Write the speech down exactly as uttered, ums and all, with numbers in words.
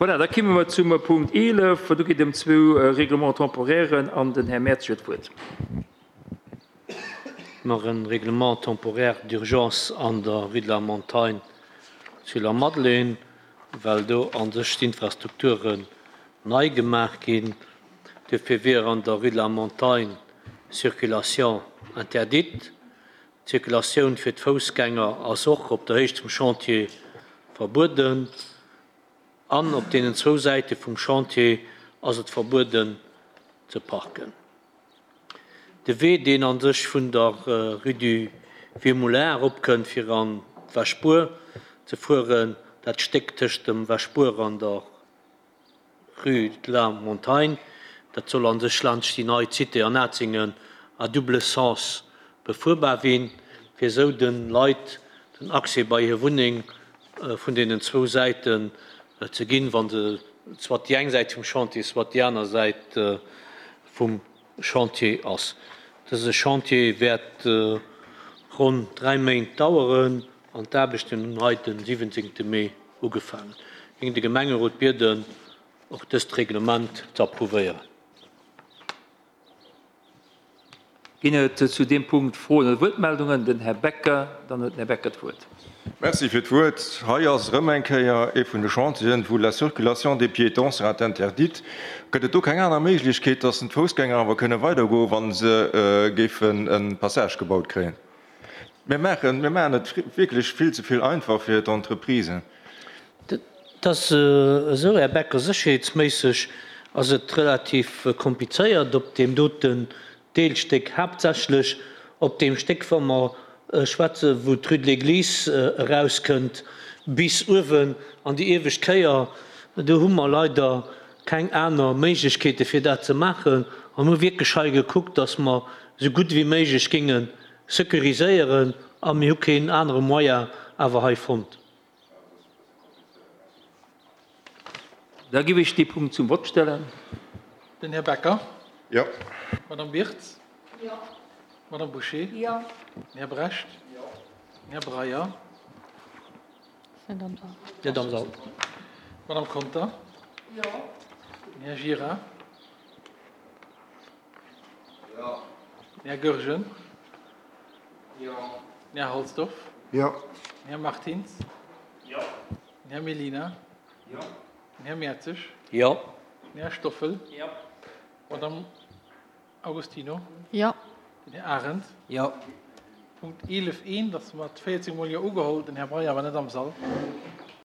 Voilà, da kimme mer zum Punkt eelef. Do geet et ëm zwou Règlements temporairen an den Här Mertz huet d'Wuert. Mer en Règlement temporaire d'urgence an der Rue de la Montagne zu Lamadelaine, well do an sech d'Infrastrukturen nei gemaach ginn. Duerfir wier an der Rue de la Montagne Circulation interdite. D'Circulatioun fir d'Foussgänger ass och op der Héicht vum Chantier verbueden. An op deenen zwou Säite vum Chantier ass et verbueden ze parken. De Wee, deen an sech vun der Rue du Vieux Moulin eropkënnt fir an d'Wäschbuer ze fueren, dat Stéck tëscht dem Wäschbuer an der Rue de la Montagne, dat soll an sech laanscht déi nei Cité an Atzingen à double sens befuerbar winn, fir esou de Leit den Accès bei hir Wunneng vun deenen zwou Säiten ze ginn, wa se soit déi eng Säit vum Chantier, soit déi aner Säit vum Chantier ass. Dëse Chantier wäert ronn dräi Méint daueren an d'Aarbechten hunn hei den siwwenzéngte Mee ugefaangen. Géing de Gemengerot bieden, och dëst Reglement ze approuvéieren. Ginn et zu deem Punkt Froen oder Wuertmeldungen? Den Här Becker, dann huet den Här Becker d'Wuert. Merci fir d'Wuert. Hei ass erëm eng Kéier ee vun de Chantieren, wou la circulation des piétons sera interdite. Gëtt et do keng aner Méiglechkeet, dass d'Foussgänger awer kënne weidergoen, wa se géifen e Passage gebaut kréien? Mir maachen, mir maachen et wierklech vill ze vill einfach fir d'Entreprisen. Et ass esou, Här Becker, sécherheetsméisseg ass et relativ komplizéiert op deem doten Deelstéck, haaptsächlech op deem Stéck, wa mer schwätzen, wou d'Rue de l'Église erauskënnt bis uewen an déi iewescht Kéier. Do hu mer leider keng aner Méiglechkeete fir dat ze maachen an hu wierklech hei gekuckt, dass mer esou gutt wéi méiglech géinge securiséieren a mir hu keen anere Moyen awer hei fonnt. Da giff ech dee Punkt zum Vott stellen. Den Här Becker. Jo. Madame Wirtz. Jo. Madame Bouché. Jo. Den Här Brecht. Jo. Den Här Breyer. Net am Sall. Net am Sall. Madame Conter. Jo. Den Här Gira. Jo. Den Här Goergen. Jo. Den Här Halsdorf. Jo. Den Här Martins. Jo. Den Här Mellina. Jo. Den Här Mertzig. Jo. Den Här Stoffel. Jo. Madame Agostino. Jo. Den Här Arendt. Jo. Punkt eelef eent ass mat véierzeg Mol Jo ugeholl. Den Här Breyer war net am Sall.